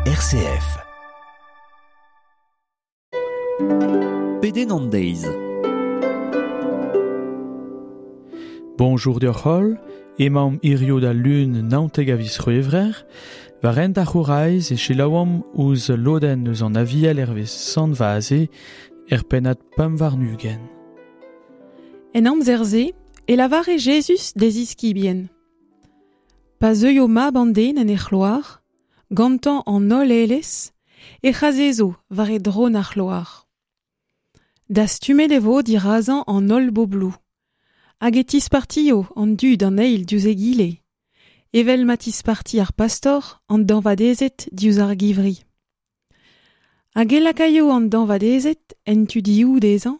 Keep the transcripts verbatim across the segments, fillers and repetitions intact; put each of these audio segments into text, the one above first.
R C F. Pedenn an deiz. Bonjour deoc'h holl, emaomp hirio da lun naontek a viz C'hwevrer, war hent ar c'houraiz e selaouomp ouzh lodenn eus an Aviel hervez Sant Vaze er pennad pemp warn-ugent. En amzer-se e lavare Jezuz d'e ziskibien. Pa zeuio mab an den en e c'hloar, gantañ an holl aelez, e c'hazezo war e dron ar c'hloar. Dastumet e vo dirazañ an holl bobloù, hag e tispartio an dud an eil diouzh egile, evel ma tisparti ar pastor an dañvadezed diouzh ar givri. Hag e lakaio an dañvadezed en tu dioù dezhañ,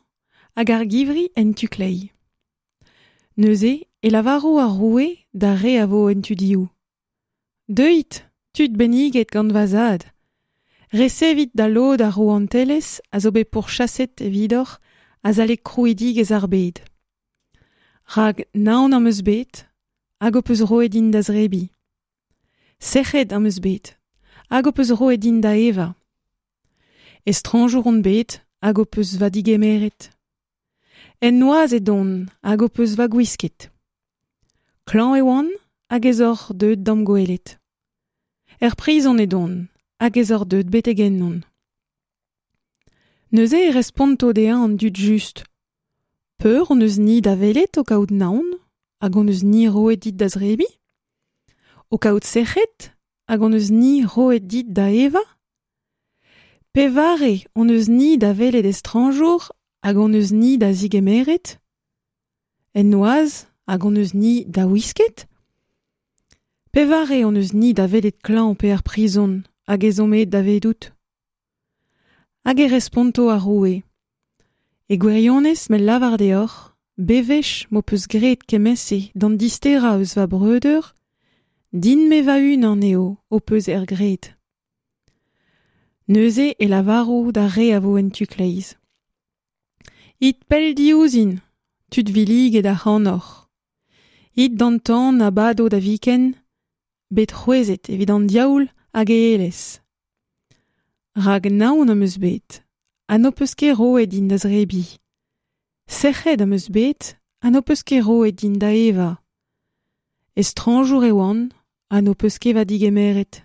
hag ar givri en tu kleiz. Neuze e lavaro ar roue d'ar re a vo en tu dioù. Deuit, tud benniget gant va zad, resevit da lod ar rouantelezh a zo bet pourchaset evidoc'h azalek krouidigezh ar bed. Rak naon am eus bet, hag ho peus roet din da zrebiñ. Sec'hed am eus bet, hag ho peus roet din da evañ. Estrañjour on bet, hag ho peus va digemeret. En noazh edon, hag ho peus va gwisket. Klañv e oan, hag ez oc'h deuet d'am gwelet. Er prizon edon, hag ez oc'h deuet betek ennon. Neuze e responto dezhañ an dud just. Peur hon eus ni da welet o kaout naon, hag hon eus ni roet dit da zrebiñ? O kaout sec'hed, hag hon eus ni roet dit da evañ? Pevare hon eus ni da welet estrañjour, hag hon eus ni da zigemeret? En noazh, hag hon eus ni da wisket? Pevare hon eus ni da welet klañv pe er prizon, hag ez omp aet davedout? Hag e responto ar roue. E gwirionez me lavar deoc'h, bewech m'ho peus graet kement-se d'an disterañ eus va breudeur, din me va-unan eo ho peus er graet. Neuze e lavaro d'ar re a vo en tu kleiz. It pell diouzhin, tud villiget ac'hanoc'h. It d'an tan a bado da viken, bet c'hwezet evit an diaoul hag e aelez. Rak naon am eus bet, ha n'ho peus ket roet din da zrebiñ. Sec'hed am eus bet, ha n'ho peus ket roet din da evañ. Estrañjour e oan, ha n'ho peus ket va digemeret.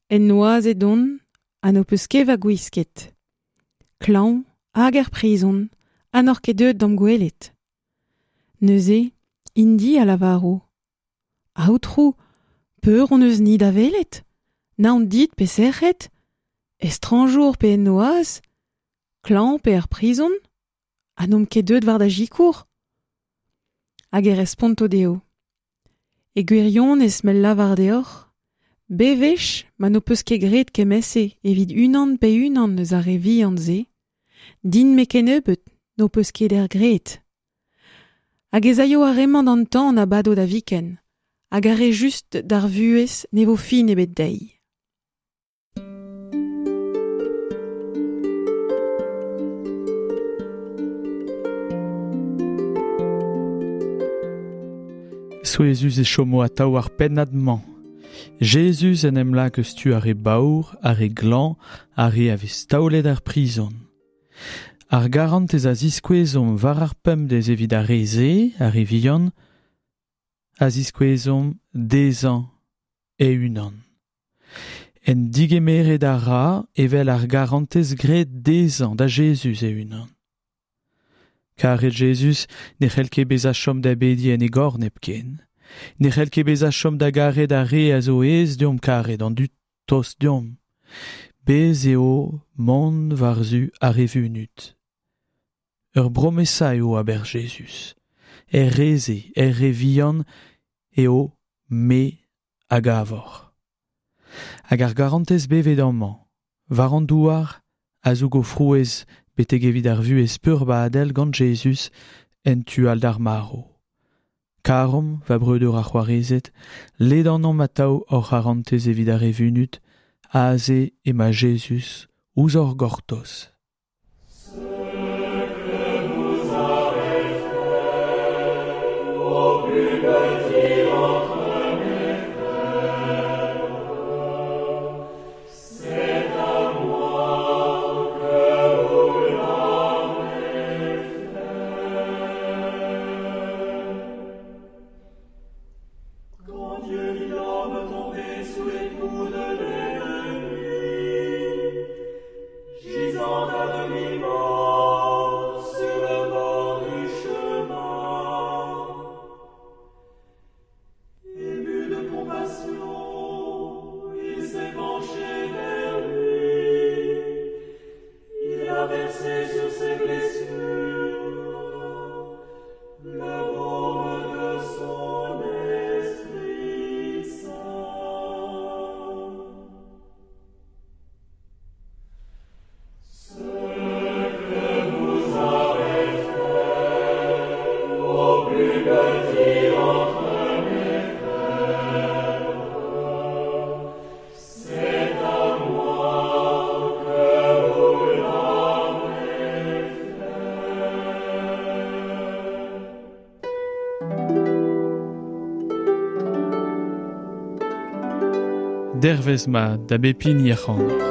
En noazh edon, ha n'ho peus ket va gwisket. Klañv hag er prizon, ha n'oc'h ket deuet d'am gwelet. Neuze, int-i a lavaro. Aotrou, peur hon eus ni da welet? Naon dit pe sec'hed? Estrañjour pe en noazh? Klañv pe er prizon? Ha n'omp ket deuet war da sikour? Hag e responto dezho. E gwirionez me lavar deoc'h, bewech ma n'ho peus ket graet kement-se evit unan pe unan eus ar re vihan-se, din me kennebeut n'ho peus ket er graet. Hag ez aio ar re-mañ d'an tan a bado da viken, hag ar re just d'ar vuhez ne vo fin ebet dezhi. Souezhus e chomo atav ar pennad-mañ. Jezuz en em lak eus tu ar re baour, ar re glañv, ar re a vez taolet er prizon. Ar garantez a ziskouezomp war ar pemdez evit ar re-se, ar re vihan, a ziskouezomp dezhañ e-unan. En digemeret a ra evel ar garantez graet dezhañ da Jezuz e-unan. Karet Jezuz ne c'hell ket bezañ chom da bediñ en e gorn hepken. Ne c'hell ket bezañ chom da garet ar re a zo aes deomp karet an dud tost deomp. Bez eo mont war-zu ar re vunut. Ur bromesa eo aber Jezuz. Er re-se, er re vihan eo me a gavor. Hag ar garantez bevet amañ, war an douar, a zougo frouezh betek evit ar vuhez peurbadel gant Jezuz en tu all d'ar marv. Karomp, va breudeur ar c'hoarezed, ledanomp atav hor c'harantez evit ar re vunut, aze ema Jezuz ouzh hor gortoz. sous les coups de l'ennemi, gisant à demi-mort sur le bord du chemin. Ému de compassion, il s'est penché vers lui, il a versé sur ses blessures le baume de son Esprit Saint. Ce que vous avez fait au plus petit entre mes frères, c'est à moi que vous l'avez fait. Dervez ma da bep hini ac'hanoc'h.